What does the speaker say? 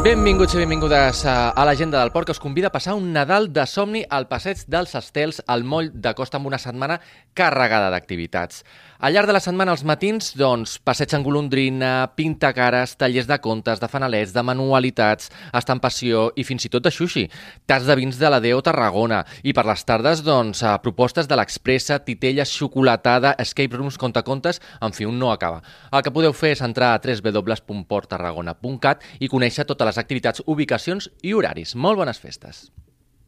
Benvinguts i benvingudes a l'Agenda del Port, que us convida a passar un Nadal de somni al Passeig dels Estels, al moll de Costa, amb una setmana carregada d'activitats. Al llarg de la setmana, als matins, passeig en golondrina, pintacares, tallers de contes, de fanalets, de manualitats, estampació i fins i tot de sushi, tas de vins de la Deo Tarragona. I per les tardes, propostes de l'Expressa, titella, xocolatada, escape rooms, contacontes, en fi, un no acaba. El que podeu fer és entrar a www.porttarragona.cat i conèixer totes les activitats, ubicacions i horaris. Molt bones festes!